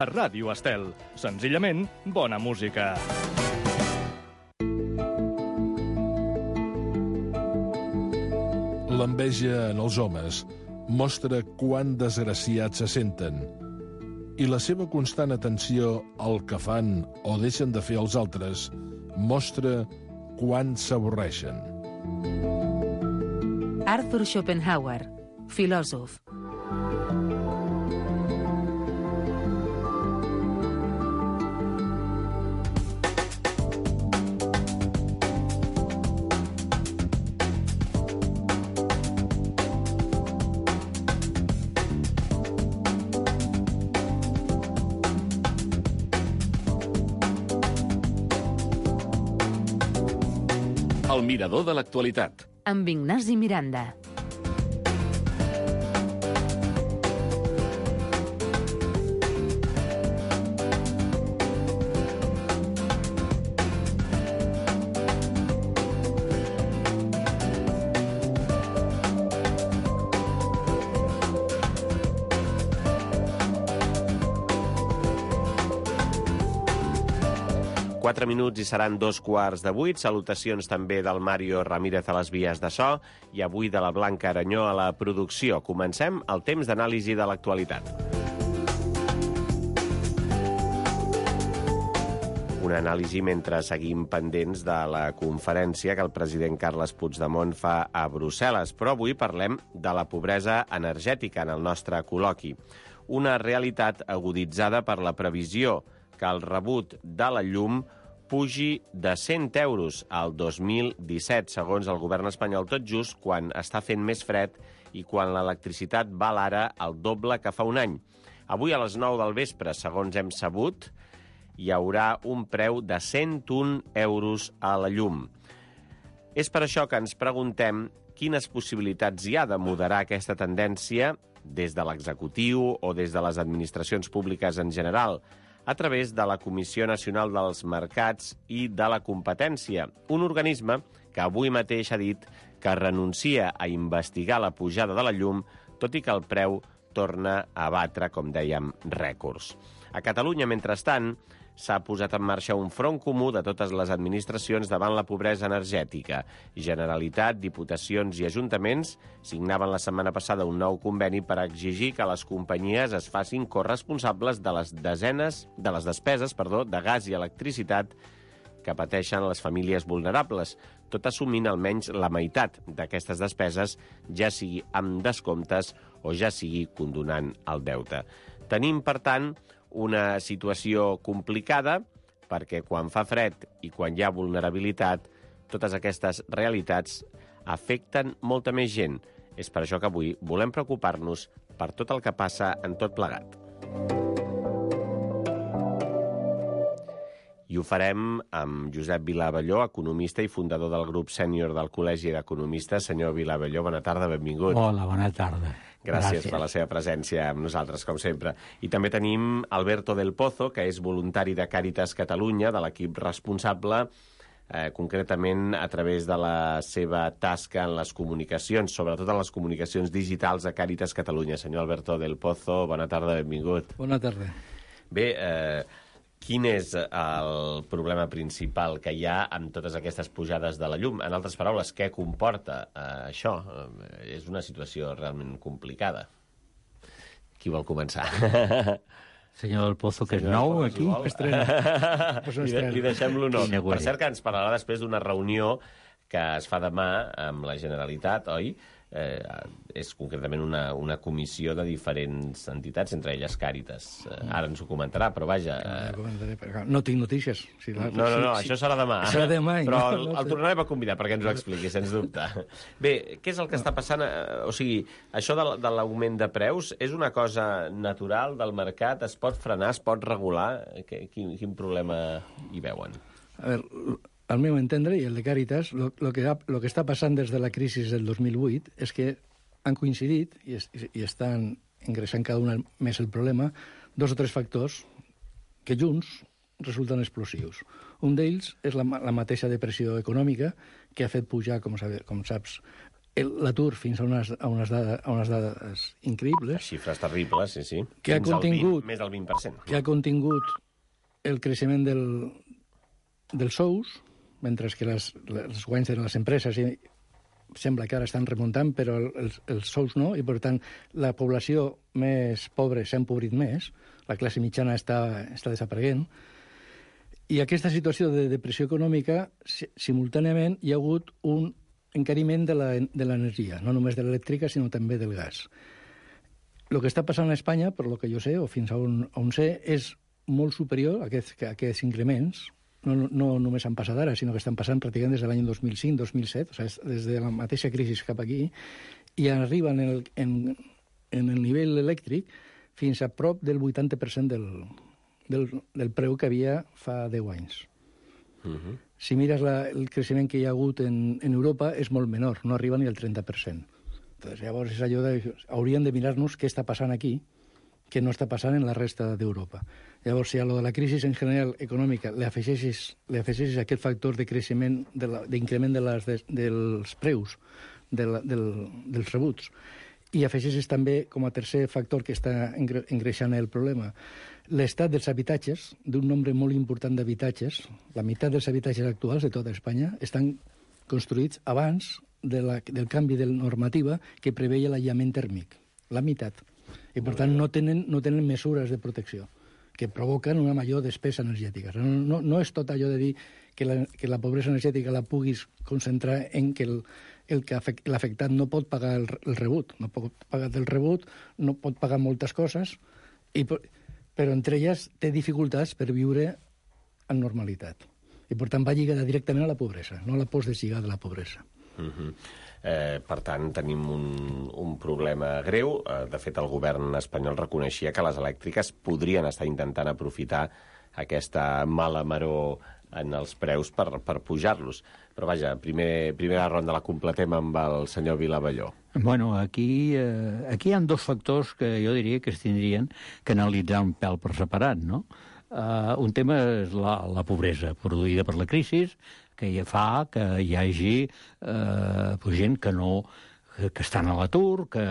A Ràdio Estel, senzillament bona música. L'enveja en els homes mostra quant desgraciats se senten i la seva constant atenció al que fan o deixen de fer els altres mostra quant s'avorreixen. Arthur Schopenhauer, filòsof. El mirador de l'actualitat. Amb Ignasi Miranda. Quatre minuts i seran 2:15. Salutacions també del Mario Ramírez a les vies de so i avui de la Blanca Aranyó a la producció. Comencem el temps d'anàlisi de l'actualitat. Una anàlisi mentre seguim pendents de la conferència que el president Carles Puigdemont fa a Brussel·les. Però avui parlem de la pobresa energètica en el nostre col·loqui. Una realitat aguditzada per la previsió que el rebut de la llum pugi de 100 euros al 2017, segons el govern espanyol, tot just quan està fent més fred i quan l'electricitat val ara el doble que fa un any. Avui a les 9 del vespre, segons hem sabut, hi haurà un preu de 101 euros a la llum. És per això que ens preguntem quines possibilitats hi ha de moderar aquesta tendència des de l'executiu o des de les administracions públiques en general, a través de la Comissió Nacional dels Mercats i de la Competència, un organisme que avui mateix ha dit que renuncia a investigar la pujada de la llum, tot i que el preu torna a batre, com dèiem, rècords. A Catalunya, mentrestant, s'ha posat en marxa un front comú de totes les administracions davant la pobresa energètica. Generalitat, diputacions i ajuntaments signaven la setmana passada un nou conveni per exigir que les companyies es facin corresponsables de les despeses de gas i electricitat que pateixen les famílies vulnerables, tot assumint almenys la meitat d'aquestes despeses, ja sigui amb descomptes o ja sigui condonant el deute. Tenim, per tant, una situació complicada perquè quan fa fred i quan hi ha vulnerabilitat, totes aquestes realitats afecten molta més gent. És per això que avui volem preocupar-nos per tot el que passa en tot plegat. I ho farem amb Josep Vilavelló, economista i fundador del grup sènior del Col·legi d'Economistes. Senyor Vilavelló, bona tarda, benvingut. Hola, bona tarda. Gràcies per la seva presència amb nosaltres, com sempre. I també tenim Alberto del Pozo, que és voluntari de Càritas Catalunya, de l'equip responsable, concretament a través de la seva tasca en les comunicacions, sobretot en les comunicacions digitals de Càritas Catalunya. Senyor Alberto del Pozo, bona tarda, benvingut. Bona tarda. Bé, quin és el problema principal que hi ha amb totes aquestes pujades de la llum? En altres paraules, què comporta això? És una situació realment complicada. Qui vol començar? Senyor del Pozo, que és nou aquí. Li deixem l'honor. Per cert, que ens parlarà després d'una reunió que es fa demà amb la Generalitat, oi? És concretament una comissió de diferents entitats, entre elles Càritas. Ara ens ho comentarà, però vaja... No tinc notícies. No, això serà demà. Serà demà. Però el tornarem a convidar perquè ens ho expliqui, sens dubte. Bé, què és el que està passant? O sigui, això de l'augment de preus és una cosa natural del mercat? Es pot frenar, es pot regular? Quin problema hi veuen? A veure, al meu entendre, i el de Càritas, lo que està passant des de la crisi del 2008 és que han coincidit, i estan ingressant cada una més el problema, 2 o 3 factors que junts resulten explosius. Un d'ells és la mateixa depressió econòmica que ha fet pujar, com saps, l'atur fins a unes dades increïbles. Xifres terribles, sí. Que ha contingut, més del 20%. Que ha contingut el creixement dels sous, mentre que els guanys de les empreses sembla que ara estan remuntant, però els sous no, i per tant la població més pobra s'ha empobrit més, la classe mitjana està desapareguent, i aquesta situació de depressió econòmica, simultàniament hi ha hagut un encariment de l'energia, no només de l'elèctrica, sinó també del gas. El que està passant a Espanya, per lo que jo sé, o fins a on sé, és molt superior a aquests increments. No només han passat ara, sinó que estan passant pràcticament des de l'any 2005-2007, o sigui, des de la mateixa crisi cap aquí, i arriben en el nivell elèctric fins a prop del 80% del preu que havia fa 10 anys. Si mires el creixement que hi ha hagut en Europa, és molt menor, no arriba ni al 30%. Entonces, llavors, és allò hauríem de mirar-nos què està passant aquí, que no està passant en la resta d'Europa. Llavors, si a lo de la crisi en general econòmica li afegeixes aquest factor de creixement, d'increment dels preus, dels rebuts, i afegeixes també, com a tercer factor que està engreixant el problema, l'estat dels habitatges, d'un nombre molt important d'habitatges, la meitat dels habitatges actuals de tota Espanya estan construïts abans del canvi de normativa que preveia l'aïllament tèrmic. La meitat. I, per tant, no tenen mesures de protecció que provoquen una major despesa energètica. No és tot allò de dir que la pobresa energètica la puguis concentrar en que l'afectat no pot pagar el rebut. No pot pagar el rebut, no pot pagar moltes coses, però entre elles té dificultats per viure en normalitat. I, per tant, va lligada directament a la pobresa. No la pots deslligar de la pobresa. Per tant, tenim un problema greu. De fet, el govern espanyol reconeixia que les elèctriques podrien estar intentant aprofitar aquesta mala maror en els preus per pujar-los. Però vaja, primera ronda la completem amb el senyor Vilavelló. Bueno, aquí hi ha dos factors que jo diria que es tindrien que analitzar un pèl per separat, no? Un tema és la pobresa produïda per la crisi, que fa que hi hagi gent que estan a l'atur, que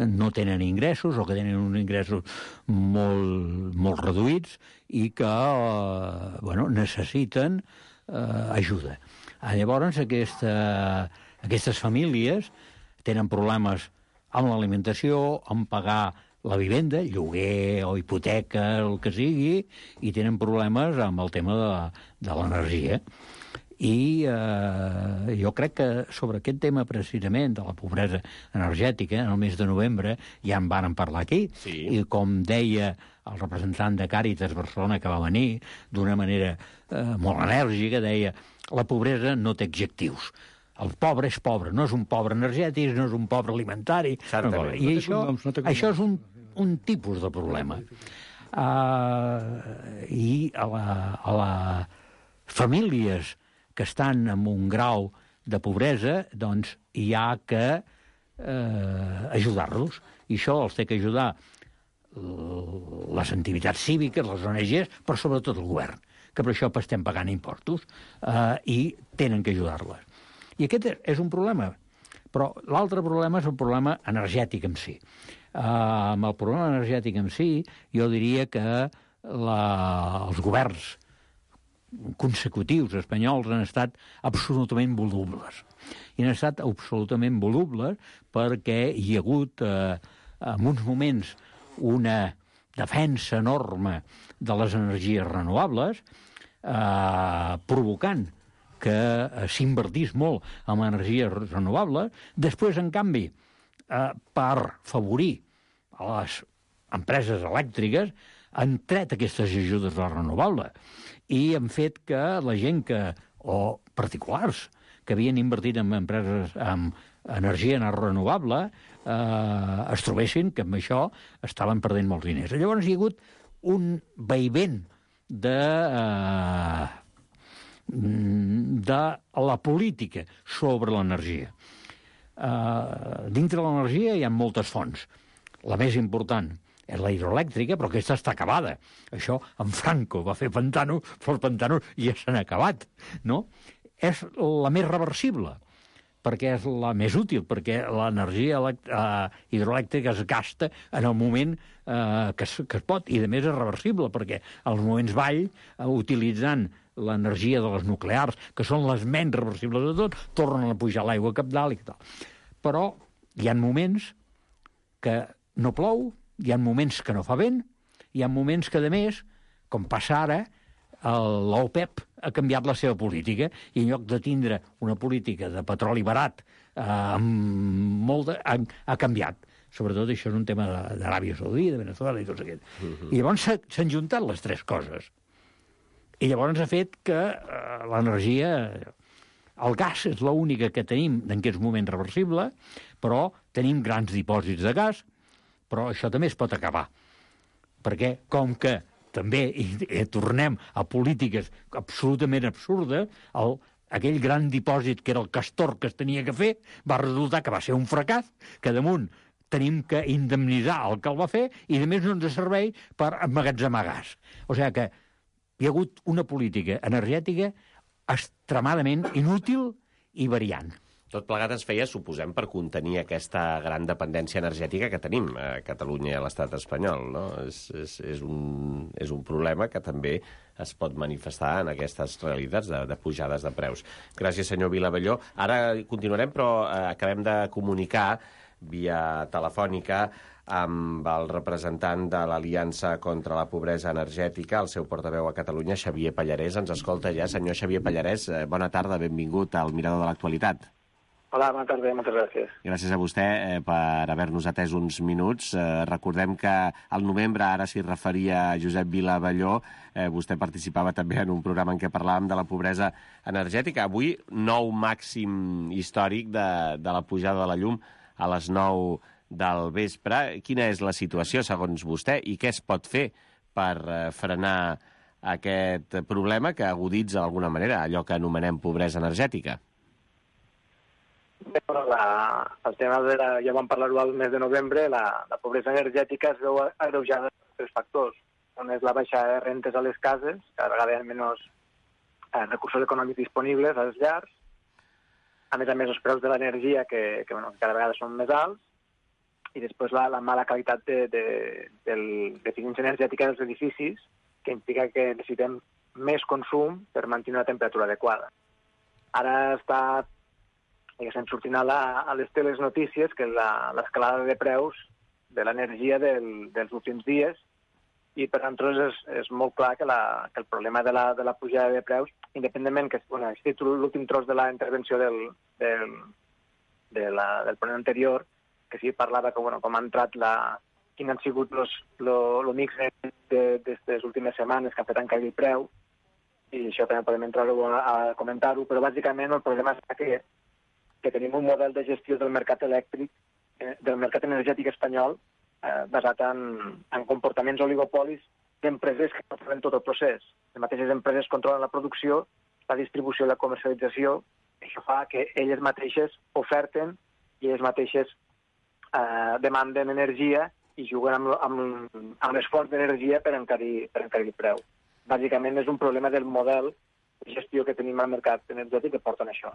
no tenen ingressos o que tenen uns ingressos molt reduïts i que necessiten ajuda. Llavors, aquestes famílies tenen problemes amb l'alimentació, amb pagar la vivenda, lloguer o hipoteca, el que sigui, i tenen problemes amb el tema de l'energia. I jo crec que sobre aquest tema precisament de la pobresa energètica, en el mes de novembre ja en vàrem parlar aquí, sí. I com deia el representant de Càritas Barcelona que va venir d'una manera molt enèrgica, deia la pobresa no té adjectius. El pobre és pobre, no és un pobre energètic, no és un pobre alimentari. I això és un tipus de problema. I a les famílies que estan en un grau de pobresa, doncs hi ha que ajudar-los. I això els té que ajudar les entitats cíviques, les ONGs, però sobretot el govern, que per això estem pagant impostos, i tenen que ajudar-les. I aquest és un problema. Però l'altre problema és el problema energètic en si. Amb el problema energètic en si, jo diria que els governs consecutius espanyols han estat absolutament volubles. I han estat absolutament volubles perquè hi ha hagut, en uns moments, una defensa enorme de les energies renovables, provocant que s'invertís molt en energies renovables. Després, en canvi, per favorir a les empreses elèctriques, han tret aquestes ajudes a la renovable i han fet que la gent o particulars que havien invertit en empreses amb energia renovable es trobessin que amb això estaven perdent molts diners. Llavors hi ha hagut un vaivent de la política sobre l'energia. Dintre de l'energia hi ha moltes fonts. La més important és la hidroelèctrica, però aquesta està acabada. Això, en Franco va fer pantanos, però els pantanos ja s'han acabat, no? És la més reversible. perquè és la més útil, perquè l'energia hidroelèctrica es gasta en el moment que es pot, i a més és reversible, perquè als moments vall, utilitzant l'energia de les nuclears, que són les menys reversibles de tot, tornen a pujar l'aigua cap dalt i tal. Però hi ha moments que no plou, hi ha moments que no fa vent, hi ha moments que, a més, com passa ara, l'OPEP ha canviat la seva política i en lloc de tindre una política de petroli barat ha canviat. Sobretot això és un tema d'Aràbia Saudita, de Venezuela i tot aquest. I llavors s'han juntat les tres coses. I llavors ha fet que l'energia... El gas és l'única que tenim en aquests moments reversible, però tenim grans dipòsits de gas, però això també es pot acabar. Perquè, com que també tornem a polítiques absolutament absurdes, aquell gran dipòsit que era el Castor que es tenia que fer, va resultar que va ser un fracàs, que damunt tenim que indemnitzar el que el va fer i, a més, no ens serveix per emmagatzemar gas. O sigui que hi ha hagut una política energètica extremadament inútil i variant. Tot plegat es feia, suposem, per contenir aquesta gran dependència energètica que tenim a Catalunya i a l'estat espanyol, no? És un problema que també es pot manifestar en aquestes realitats de pujades de preus. Gràcies, senyor Vilavelló. Ara continuarem, però acabem de comunicar via telefònica amb el representant de l'Aliança contra la Pobresa Energètica, el seu portaveu a Catalunya, Xavier Pallarès. Ens escolta ja. Senyor Xavier Pallarès, bona tarda, benvingut al Mirador de l'Actualitat. Hola, bona tarda, moltes gràcies. Gràcies a vostè per haver-nos atès uns minuts. Recordem que al novembre, ara s'hi referia Josep Vilavelló, vostè participava també en un programa en què parlàvem de la pobresa energètica. Avui, nou màxim històric de la pujada de la llum a les 9 del vespre. Quina és la situació, segons vostè, i què es pot fer per frenar aquest problema que aguditza d'alguna manera allò que anomenem pobresa energètica? Bé, el tema ja vam parlar-ho al mes de novembre, la pobresa energètica es veu agreujada per tres factors. Un és la baixada de rentes a les cases, cada vegada hi ha menys recursos econòmics disponibles a les llars. A més, els preus de l'energia, que cada vegada són més alts. I després la mala qualitat d'eficiència energètica dels edificis, que implica que necessitem més consum per mantenir una temperatura adequada. Ara estem sortint a les teles notícies que l'escalada de preus de l'energia dels últims dies, i per tant és molt clar que el problema de la pujada de preus, independentment que l'últim tros de la intervenció del ponent anterior, que sí parlava com ha entrat quin han sigut el mix d'aquestes últimes setmanes que ha fet encair el preu, i això també podem entrar-ho a comentar-ho, però bàsicament el problema és que tenim un model de gestió del mercat elèctric, del mercat energètic espanyol, basat en comportaments oligopolis d'empreses que controlen tot el procés. Les mateixes empreses controlen la producció, la distribució i la comercialització, i això fa que elles mateixes oferten i elles mateixes demanden energia i juguen amb les fonts d'energia per encarir el preu. Bàsicament és un problema del model de gestió que tenim al mercat energètic que porten això.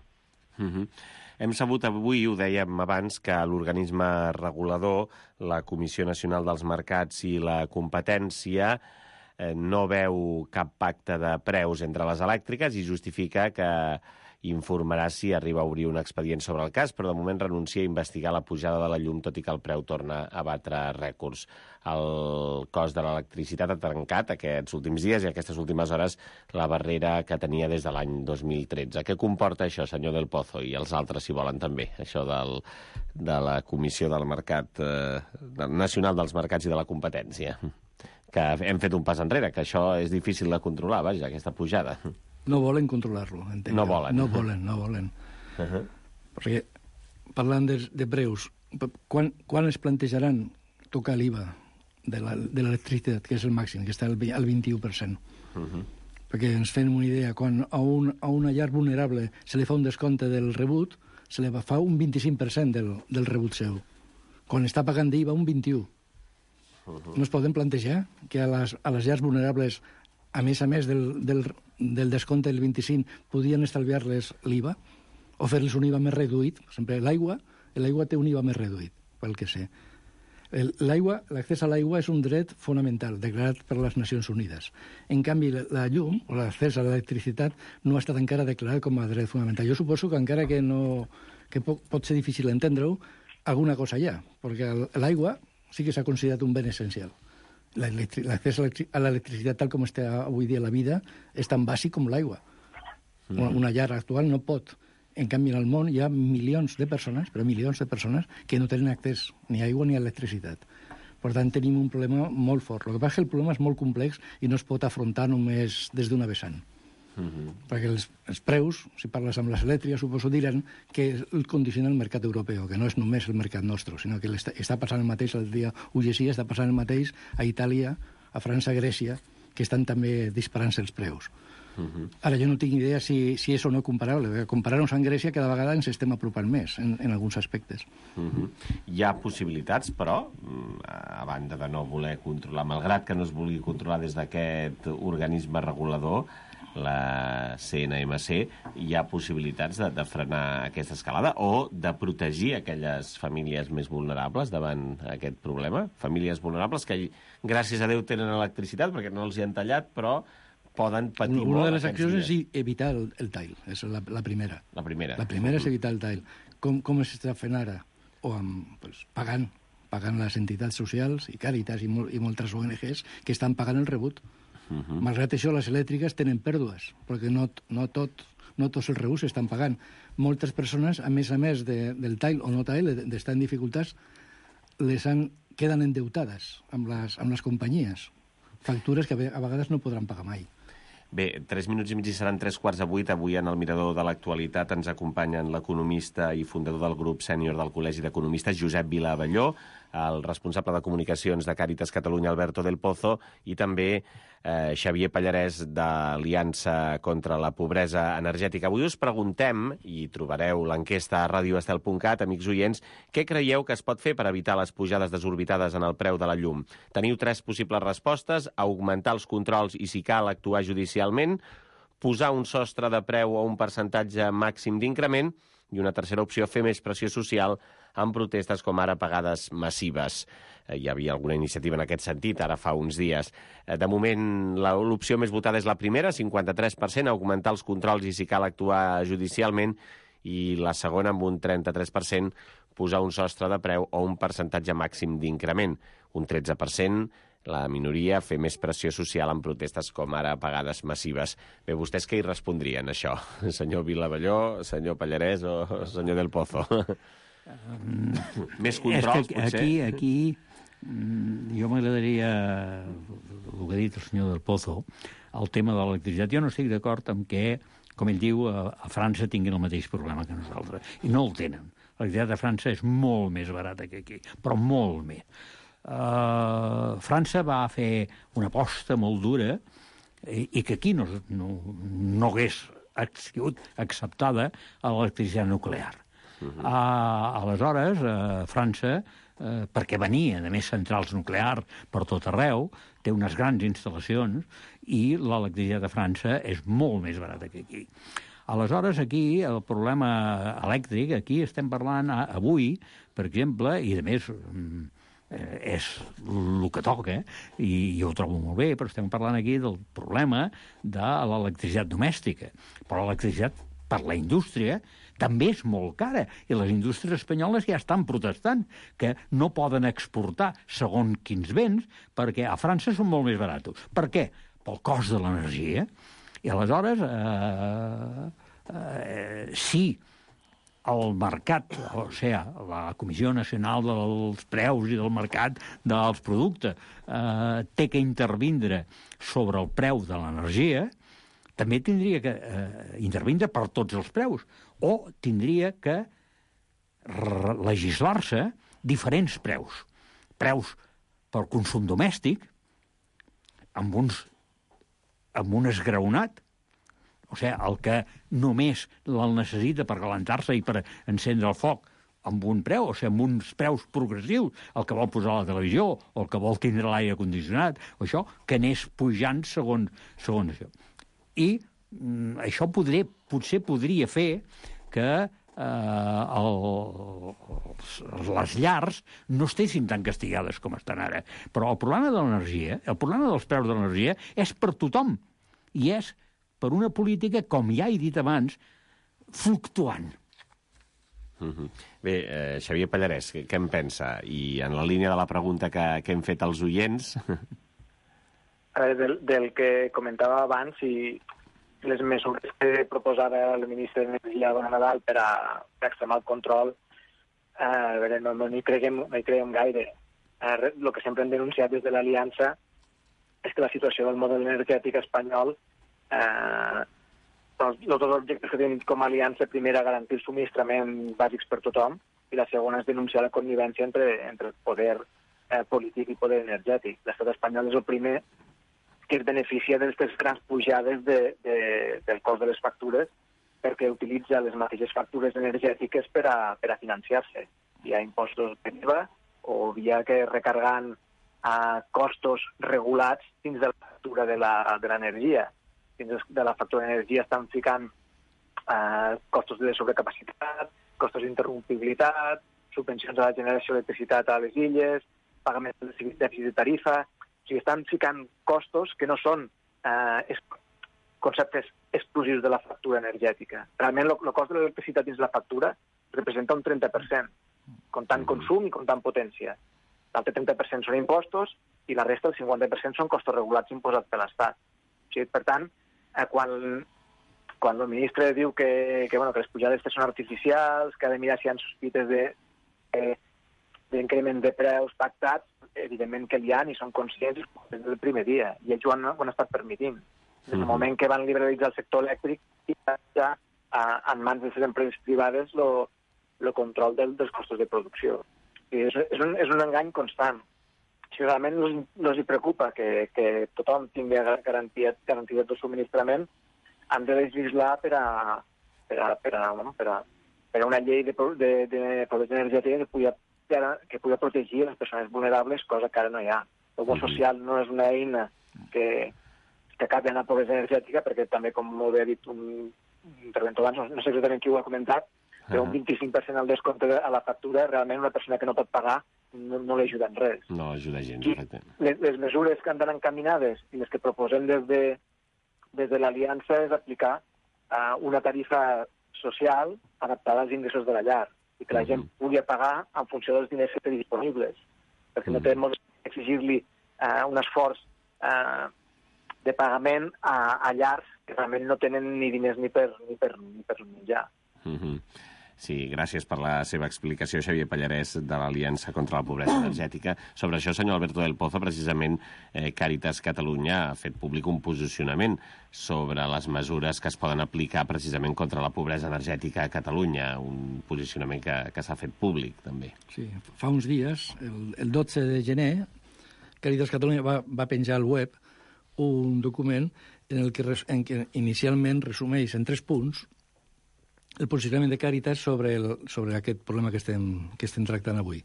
Hem sabut avui, ho dèiem abans, que l'organisme regulador, la Comissió Nacional dels Mercats i la Competència, no veu cap pacte de preus entre les elèctriques i justifica que informarà si arriba a obrir un expedient sobre el cas, però de moment renuncia a investigar la pujada de la llum, tot i que el preu torna a batre rècords. El cost de l'electricitat ha trencat aquests últims dies i aquestes últimes hores la barrera que tenia des de l'any 2013. Què comporta això, senyor Del Pozo, i els altres, si volen també, això de la Comissió del Mercat Nacional dels Mercats i de la Competència? Que hem fet un pas enrere, que això és difícil de controlar, vaja, aquesta pujada. No volen controlar-lo, entenc. No volen. No volen. Perquè, parlant de preus, quan es plantejaran tocar l'IVA de l'electricitat, que és el màxim, que està al 21%? Perquè ens fem una idea, quan a una llar vulnerable se li fa un descompte del rebut, se li fa un 25% del rebut seu. Quan està pagant d'IVA, un 21%. No es poden plantejar que a les llars vulnerables, a més del descompte del 25, podien estalviar-les l'IVA? o fer-los un IVA més reduït. Per exemple, l'aigua té un IVA més reduït, pel que sé. L'accés a l'aigua és un dret fonamental, declarat per les Nacions Unides. En canvi, la llum, o l'accés a l'electricitat, no ha estat encara declarat com a dret fonamental. Jo suposo que encara que pot ser difícil entendre-ho, alguna cosa hi ha, perquè l'aigua sí que s'ha considerat un bé essencial. L'accés a l'electricitat, tal com està avui dia la vida, és tan bàsic com l'aigua. Una llar actual no pot. En canvi, en el món hi ha milions de persones, que no tenen accés ni a aigua ni a electricitat. Per tant, tenim un problema molt fort. El que passa és que el problema és molt complex i no es pot afrontar només des d'una vessant. Perquè els preus, si parles amb les elèctriques, suposo diran que el condiciona el mercat europeu, que no és només el mercat nostre, sinó que està passant el mateix, el dia ho llegia, està passant el mateix a Itàlia, a França, a Grècia, que estan també disparant-se els preus. Ara, jo no tinc idea si és o no comparable. Comparar-nos amb Grècia cada vegada ens estem apropant més en alguns aspectes. Hi ha possibilitats, però, a banda de no voler controlar, malgrat que no es vulgui controlar des d'aquest organisme regulador, la CNMC, hi ha possibilitats de frenar aquesta escalada o de protegir aquelles famílies més vulnerables davant aquest problema? Famílies vulnerables que, gràcies a Déu, tenen electricitat perquè no els hi han tallat, però poden patir molt. Una de les accions és evitar el tall, és la primera. La primera. La primera és evitar el tall. Com s'està fent ara? Pagant les entitats socials i Càritas i moltes ONGs que estan pagant el rebut. Malgrat això, les elèctriques tenen pèrdues, perquè no tots els rebuts s'estan pagant. Moltes persones, a més del tall o no tall, d'estar en dificultats, queden endeutades amb les companyies. Factures que a vegades no podran pagar mai. Bé, 3 minuts i mig i seran 7:45. Avui en el Mirador de l'Actualitat ens acompanyen l'economista i fundador del grup sènior del Col·legi d'Economistes, Josep Vila-Abelló, el responsable de comunicacions de Càritas Catalunya, Alberto del Pozo, i també Xavier Pallarès, d'Aliança contra la Pobresa Energètica. Avui us preguntem, i trobareu l'enquesta a radioestel.cat, amics oients, què creieu que es pot fer per evitar les pujades desorbitades en el preu de la llum? Teniu 3 possibles respostes: augmentar els controls i, si cal, actuar judicialment, posar un sostre de preu o un percentatge màxim d'increment, i una tercera opció, fer més pressió social amb protestes com ara pagades massives. Hi havia alguna iniciativa en aquest sentit, ara fa uns dies. De moment, l'opció més votada és la primera, 53%, augmentar els controls i, si cal, actuar judicialment, i la segona, amb un 33%, posar un sostre de preu o un percentatge màxim d'increment. Un 13%, la minoria, fer més pressió social amb protestes com ara pagades massives. Bé, vostès què hi respondrien, això? Senyor Vila-Abelló, senyor Pallarès o senyor del Pozo? Més controls, potser? Aquí jo m'agradaria, el que ha dit el senyor del Pozo, el tema de l'electricitat. Jo no estic d'acord amb que, com ell diu, a França tinguin el mateix problema que nosaltres. I no el tenen. L'electricitat a França és molt més barata que aquí, però molt més. França va fer una aposta molt dura i que aquí no hagués sigut acceptada a l'electricitat nuclear. Aleshores, França, perquè venia de més centrals nuclears per tot arreu, té unes grans instal·lacions i l'electricitat a França és molt més barata que aquí. Aleshores, aquí, el problema elèctric, aquí estem parlant avui, per exemple, i a més és el que toca, i jo ho trobo molt bé, però estem parlant aquí del problema de l'electricitat domèstica. Però l'electricitat per la indústria també és molt cara, i les indústries espanyoles ja estan protestant que no poden exportar segons quins béns perquè a França són molt més barats. Per què? Pel cost de l'energia. I aleshores, si el mercat, o sigui, la Comissió Nacional dels Preus i del Mercat dels Productes té que intervindre sobre el preu de l'energia, també tindria que intervindre per tots els preus, o tindria que legislar-se diferents preus. Preus per consum domèstic, amb un esgraonat, o sigui, el que només el necessita per calentar-se i per encendre el foc, amb un preu, o sigui, amb uns preus progressius, el que vol posar la televisió, o el que vol tindre l'aire condicionat, o això, que anés pujant segons això. I això potser podria fer que les llars no estessin tan castigades com estan ara. Però el problema de l'energia, el problema dels preus de l'energia, és per tothom. I és per una política, com ja he dit abans, fluctuant. Bé, Xavier Pallarès, què en pensa? I en la línia de la pregunta que hem fet als oients... A veure, del que comentava abans, i les mesures que proposava el ministre d'Energia a Nadal per extremar el control, a veure, no hi creiem gaire. El que sempre hem denunciat des de l'Aliança és que la situació del model energètic espanyol, els dos objectes que tenim com a aliança, primer, garantir els subministraments bàsics per tothom, i la segona és denunciar la connivència entre el poder polític i poder energètic. L'estat espanyol és el primer que es beneficia d'aquestes grans pujades del cost de les factures perquè utilitza les mateixes factures energètiques per a financiar-se. Hi ha impostos de IVA o via que recargant costos regulats dins de la factura de l'energia. Dins de la factura d'energia estan ficant costos de sobrecapacitat, costos d'interrompibilitat, subvencions a la generació d'electricitat a les illes, pagament de dèficit de tarifa. O sigui, estan ficant costos que no són conceptes exclusius de la factura energètica. Realment, el cost de l'electricitat dins la factura representa un 30%, comptant consum i comptant potència. L'altre 30% són impostos i la resta, el 50%, són costos regulats imposats per l'Estat. O sigui, per tant, quan el ministre diu que les pujades són artificials, que ha de mirar si hi ha sospites d'increment de preus pactats, evidentment que hi ha i són conscients des del primer dia, i ells ho han estat permitint. Des del moment que van liberalitzar el sector elèctric i ja en mans de les empreses privades el control dels costos de producció. És un engany constant. Si realment els preocupa que tothom tingui garantia del subministrament, han de legislar per a una llei de pobresa energètica que pugui protegir les persones vulnerables, cosa que ara no hi ha. El bo social no és una eina que acabi en la pobresa energètica, perquè també, com molt bé ha dit un interventor abans, no sé exactament qui ho ha comentat, però un 25% al descompte a la factura, realment una persona que no pot pagar no l'ajuda en res. No ajuda gens, exacte. Les mesures que han d'anar encaminades i les que proposem des de l'Aliança és aplicar una tarifa social adaptada als ingressos de la llar i que la gent pugui pagar en funció dels diners que té disponibles, perquè no té molt exigir-li un esforç de pagament a llars que realment no tenen ni diners ni per menjar. Sí, gràcies per la seva explicació, Xavier Pallarès, de l'Aliança contra la Pobresa Energètica. Sobre això, senyor Alberto del Pozo, precisament Càritas Catalunya ha fet públic un posicionament sobre les mesures que es poden aplicar precisament contra la pobresa energètica a Catalunya, un posicionament que s'ha fet públic, també. Sí, fa uns dies, el 12 de gener, Càritas Catalunya va penjar al web un document en què inicialment resumeix en 3 punts el posicionament de Càritas sobre aquest problema que estem tractant avui.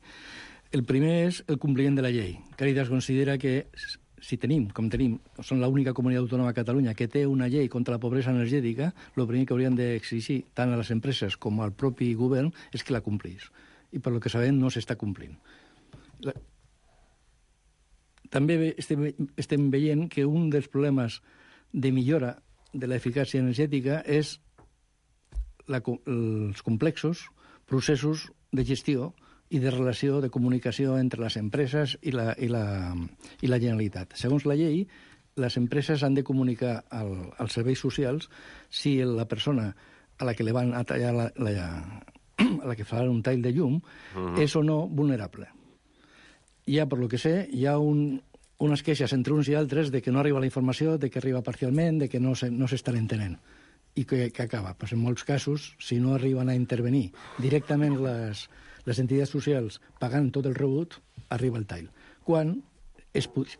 El primer és el compliment de la llei. Càritas considera que si som l'única comunitat autònoma a Catalunya que té una llei contra la pobresa energètica, el primer que haurien d'exigir tant a les empreses com al propi govern és que la complís. I per lo que sabem no s'està complint. També estem veient que un dels problemes de millora de l'eficàcia energètica és els complexos processos de gestió i de relació de comunicació entre les empreses i la Generalitat. Segons la llei, les empreses han de comunicar als serveis socials si la persona a la que li van a tallar a la que farà un tall de llum és o no vulnerable. Ja, per lo que sé, hi ha unes queixes entre uns i altres de que no arriba la informació, de que arriba parcialment, de que no s'estan entenent. I que acaba? Pues en molts casos, si no arriben a intervenir directament les entitats socials pagant tot el rebut, arriba el tall. Quan,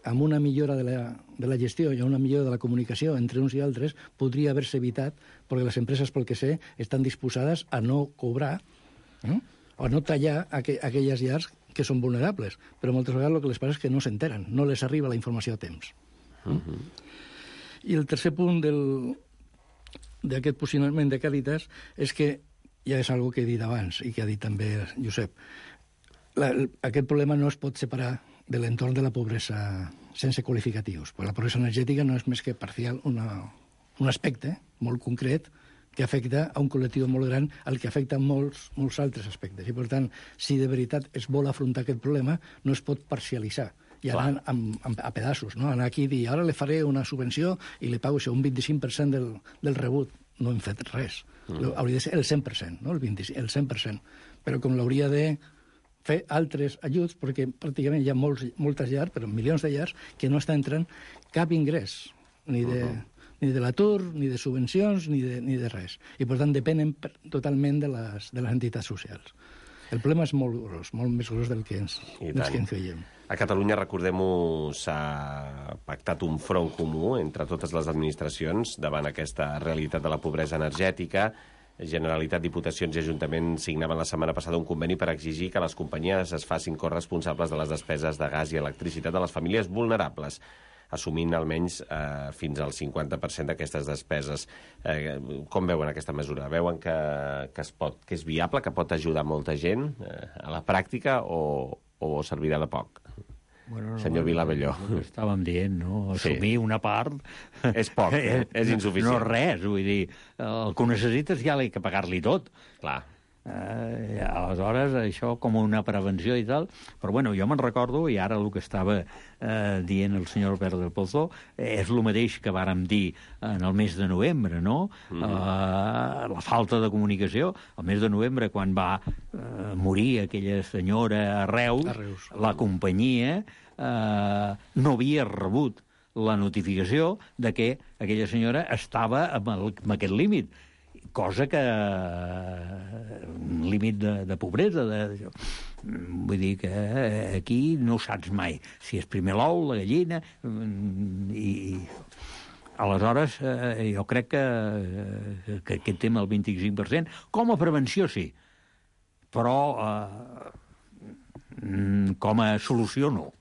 amb una millora de la gestió i una millora de la comunicació entre uns i altres, podria haver-se evitat, perquè les empreses, pel que sé, estan disposades a no cobrar o a no tallar aquelles llars que són vulnerables. Però moltes vegades el que les passa és que no s'enteren, no les arriba la informació a temps. I el tercer punt d'aquest posicionament de Càritas és que ja és algo que he dit abans i que ha dit també Josep. Aquest problema no es pot separar de l'entorn de la pobresa sense qualificatius. La pobresa energètica no és més que parcial un aspecte molt concret que afecta a un col·lectiu molt gran, al que afecta molts altres aspectes. I, per tant, si de veritat es vol afrontar aquest problema, no es pot parcialitzar i anar a pedaços, no? Anar aquí i dir, ara le faré una subvenció i li pago això, un 25% del rebut. No hem fet res. Hauria de ser el 100%, no? El 100%. Però com l'hauria de fer altres ajuts, perquè pràcticament hi ha moltes llars, però milions de llars, que no està entrant cap ingrés, ni de l'atur, ni de subvencions, ni de res. I, per tant, depenen totalment de les entitats socials. El problema és molt gros, molt més gros del que ens creiem. A Catalunya, recordem-ho, s'ha pactat un front comú entre totes les administracions davant aquesta realitat de la pobresa energètica. Generalitat, Diputacions i Ajuntaments signaven la setmana passada un conveni per exigir que les companyies es facin corresponsables de les despeses de gas i electricitat de les famílies vulnerables, assumint almenys fins al 50% d'aquestes despeses. Com veuen aquesta mesura? Veuen que és viable, que pot ajudar molta gent a la pràctica o servirà de poc? Senyor Vilabelló. Estàvem dient, no? Assumir una part... És poc, és insuficient. No res, vull dir, el que ho necessites ja l'he que pagar-li tot. Clar. Aleshores, això com una prevenció i tal, però bueno, jo me'n recordo, i ara el que estava dient el senyor Albert del Pozo és el mateix que vàrem dir en el mes de novembre, no? La falta de comunicació. El mes de novembre, quan va morir aquella senyora a Reus, la companyia no havia rebut la notificació de que aquella senyora estava amb aquest límit, cosa que un límit de pobresa. Vull dir que aquí no saps mai si és primer l'ou, la gallina, i aleshores jo crec que aquest tema del 25%, com a prevenció sí, però com a solució no.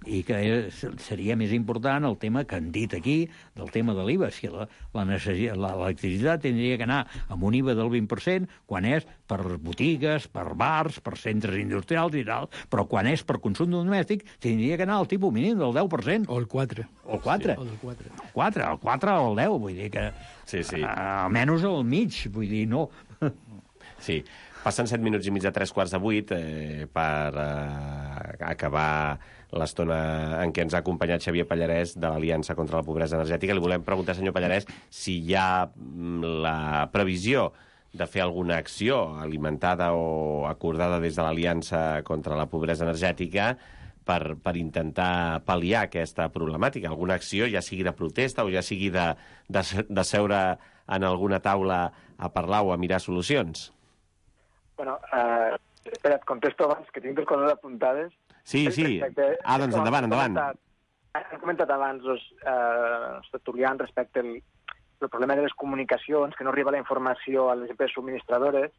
I que seria més important el tema que han dit aquí, del tema de l'IVA. Si l'electricitat tindria que anar amb un IVA del 20%, quan és per botigues, per bars, per centres industrials i tal, però quan és per consum domèstic, tindria que anar al tipus mínim del 10%. O el 4. O el 4. Sí, o del 4. El 4 o el 10, vull dir que... Sí. Almenys al mig, vull dir, no. Sí. Passen 7 minuts i mig de 7:45 per acabar l'estona en què ens ha acompanyat Xavier Pallarès de l'Aliança contra la Pobresa Energètica. Li volem preguntar, senyor Pallarès, si hi ha la previsió de fer alguna acció alimentada o acordada des de l'Aliança contra la Pobresa Energètica per intentar pal·liar aquesta problemàtica. Alguna acció, ja sigui de protesta o ja sigui de seure en alguna taula a parlar o a mirar solucions? Bueno, espera, et contesto abans, que tinc dues coses apuntades. Sí. Doncs endavant. Han comentat abans els tertulians respecte al problema de les comunicacions, que no arriba la informació a les empreses subministradores.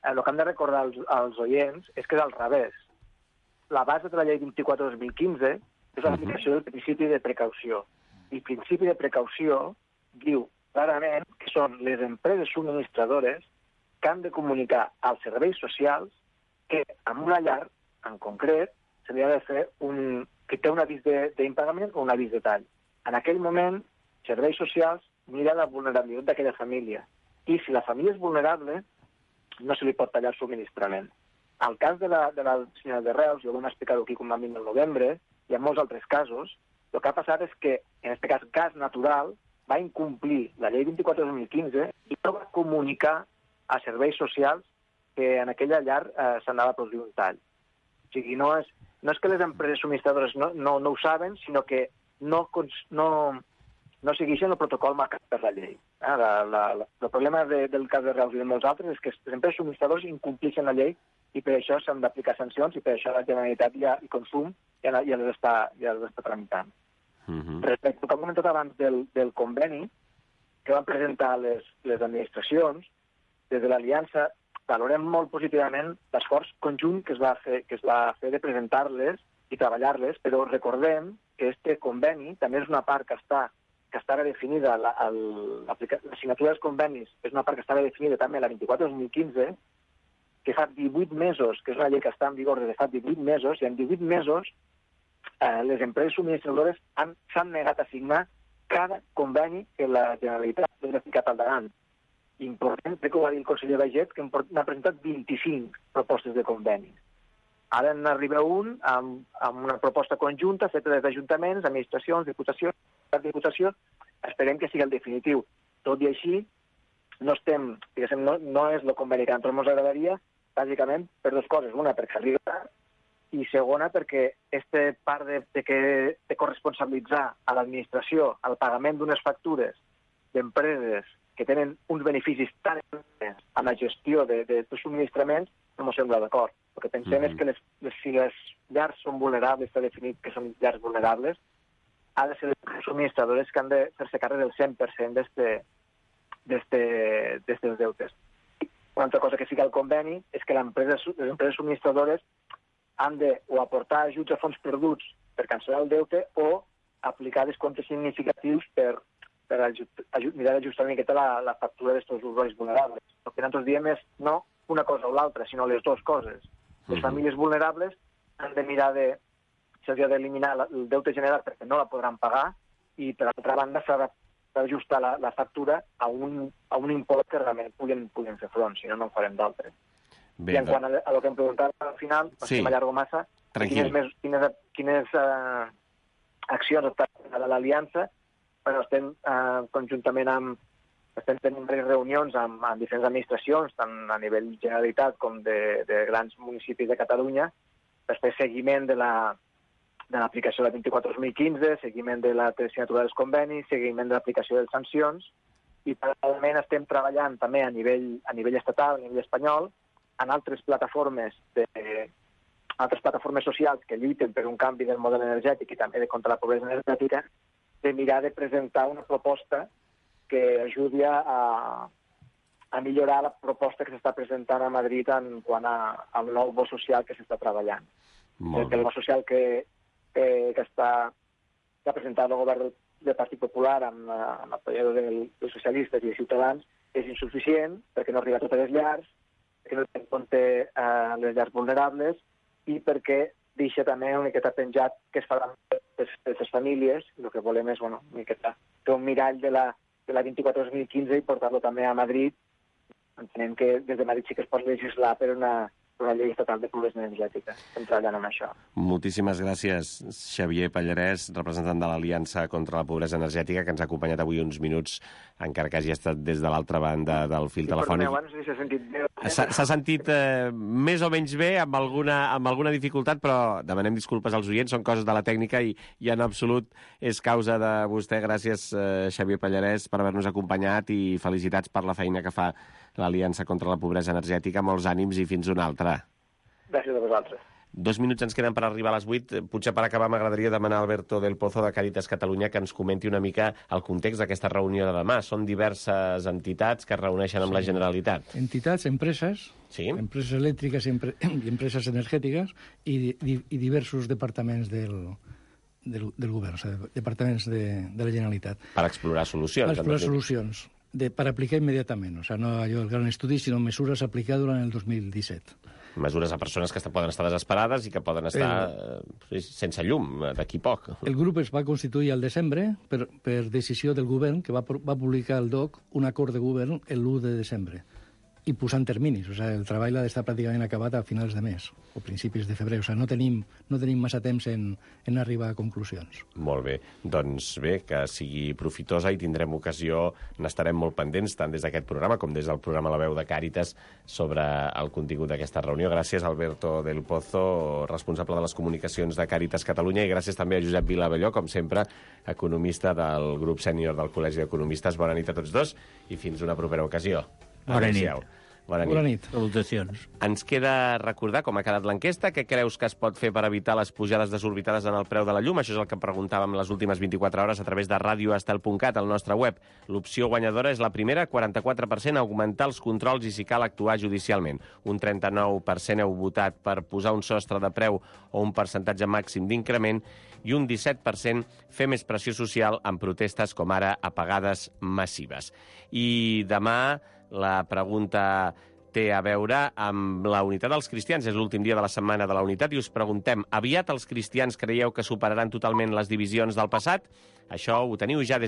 El que hem de recordar als oients és que és al revés. La base de la llei 24/2015 és l'aplicació del principi de precaució. I el principi de precaució diu clarament que són les empreses subministradores que han de comunicar als serveis socials que en una llar, en concret, se li ha de fer que té un avís d'impagament o un avís de tall. En aquell moment, serveis socials mira la vulnerabilitat d'aquella família. I si la família és vulnerable, no se li pot tallar el subministrament. Al cas de la senyora de Reus, jo ho vam explicar aquí com vam dir el novembre, i en molts altres casos, el que ha passat és que, en aquest cas, Gas Natural va incomplir la llei 24/2015 i no va comunicar a serveis socials que en aquella llar s'anava a produir un tall. O sigui, no és que les empreses subministradores no ho saben, sinó que no segueixen el protocol marcat per la llei. El problema del cas de Reus i de molts altres és que les empreses subministradores incompleixen la llei i per això s'han d'aplicar sancions i per això la Generalitat i Consum ja les està tramitant. Respecte al que hem comentat abans del conveni que van presentar les administracions, des de l'Aliança valorem molt positivament l'esforç conjunt que es va fer de presentar-les i treballar-les, però recordem que este conveni també és una part que que estava definida, la signatura dels convenis és una part que estava definida també la 24/2015, que fa 18 mesos, que és una llei que està en vigor des de fa 18 mesos, i en 18 mesos les empreses subministradores s'han negat a signar cada conveni que la Generalitat ha ficat al davant. Important, crec que ho va dir el conseller Baiget, que n'ha presentat 25 propostes de conveni. Ara n'arriba un amb una proposta conjunta feta des d'ajuntaments, administracions, diputació. Esperem que sigui el definitiu. Tot i així, no és el conveni que a nosaltres ens agradaria, bàsicament per dues coses. Una, perquè s'arriba tard, i segona, perquè aquesta part de corresponsabilitzar a l'administració el pagament d'unes factures d'empreses que tenen uns beneficis tan importants en la gestió de subministraments, no m'ho sembla d'acord. El que pensem és que si les llars són vulnerables, està definit que són llars vulnerables, ha de ser les subministradores que han de fer-se càrrec del 100% d'estes deutes. Una altra cosa que sí que el conveni és que les empreses subministradores han de o aportar ajuts a fons perduts per cancel·lar el deute o aplicar descomptes significatius per mirar d'ajustar una miqueta la factura d'aquests usuaris vulnerables. El que nosaltres diem és no una cosa o l'altra, sinó les dues coses. Les famílies vulnerables han de mirar se'ls ha d'eliminar el deute generat perquè no la podran pagar i, per altra banda, s'ha d'ajustar la factura a un import que realment puguin fer front, si no, no en farem d'altres. I en quant a el que em preguntava al final, si m'allargo massa, quines accions està fent l'Aliança. Bueno, estem conjuntament estem tenint diverses reunions amb diferents administracions, tant a nivell Generalitat com de grans municipis de Catalunya, per fer seguiment de l'aplicació de la 24/2015, seguiment de la signatura dels convenis, seguiment de l'aplicació de les sancions, i paral·lelament estem treballant també a nivell estatal, a nivell espanyol, en altres plataformes socials que lluiten per un canvi del model energètic i també contra la pobresa energètica, de mirar de presentar una proposta que ajudi a millorar la proposta que s'està presentant a Madrid en quant al nou bo social que s'està treballant. El bo social que ha presentat el govern del Partit Popular amb l'apoyador dels socialistes i de Ciutadans és insuficient perquè no arriba a totes les llars, perquè no té en compte les llars vulnerables i perquè deixa també una miqueta penjat que es farà per les famílies. El que volem és una miqueta fer un mirall de la 24/2015 i portar-lo també a Madrid. Entenem que des de Madrid sí que es pot legislar per una llei estatal de pobresa energètica. Estem treballant en això. Moltíssimes gràcies, Xavier Pallarès, representant de l'Aliança contra la Pobresa Energètica, que ens ha acompanyat avui uns minuts, encara que hagi estat des de l'altra banda del fil telefònic. Abans s'ha sentit bé. S'ha sentit més o menys bé, amb alguna dificultat, però demanem disculpes als oients, són coses de la tècnica i en absolut és causa de vostè. Gràcies, Xavier Pallarès, per haver-nos acompanyat i felicitats per la feina que fa l'Aliança contra la Pobresa Energètica. Molts ànims i fins una altra. Gràcies a vosaltres. 2 minuts ens queden per arribar a les 8. Potser per acabar m'agradaria demanar a Alberto del Pozo de Càritas Catalunya que ens comenti una mica el context d'aquesta reunió de demà. Són diverses entitats que es reuneixen amb la Generalitat. Entitats, empreses, empreses elèctriques i empreses energètiques i diversos departaments del govern, o sigui, departaments de la Generalitat. Per explorar solucions. Per explorar solucions, per aplicar immediatament. O sigui, no allò el gran estudi, sinó mesures a aplicar durant el 2017. Mesures a persones que poden estar desesperades i que poden estar sense llum d'aquí poc. El grup es va constituir al desembre per decisió del govern, que va publicar el DOC un acord de govern l'1 de desembre i posant terminis. O sigui, el treball ha d'estar pràcticament acabat a finals de mes o principis de febrer. O sigui, no tenim massa temps en arribar a conclusions. Molt bé. Doncs bé, que sigui profitosa i tindrem ocasió, n'estarem molt pendents, tant des d'aquest programa com des del programa La Veu de Càritas, sobre el contingut d'aquesta reunió. Gràcies, Alberto del Pozo, responsable de les comunicacions de Càritas Catalunya, i gràcies també a Josep Vilabelló, com sempre, economista del grup sènior del Col·legi d'Economistes. Bona nit a tots dos i fins una propera ocasió. Bona nit. Bona nit. Salutacions. Ens queda recordar com ha quedat l'enquesta. Què creus que es pot fer per evitar les pujades desorbitades en el preu de la llum? Això és el que preguntàvem les últimes 24 hores a través de radioestel.cat, al nostre web. L'opció guanyadora és la primera, 44%, augmentar els controls i, si cal, actuar judicialment. Un 39% heu votat per posar un sostre de preu o un percentatge màxim d'increment i un 17% fer més pressió social en protestes com ara apagades massives. I demà la pregunta té a veure amb la unitat dels cristians. És l'últim dia de la Setmana de la Unitat i us preguntem, aviat els cristians creieu que superaran totalment les divisions del passat? Això ho teniu ja des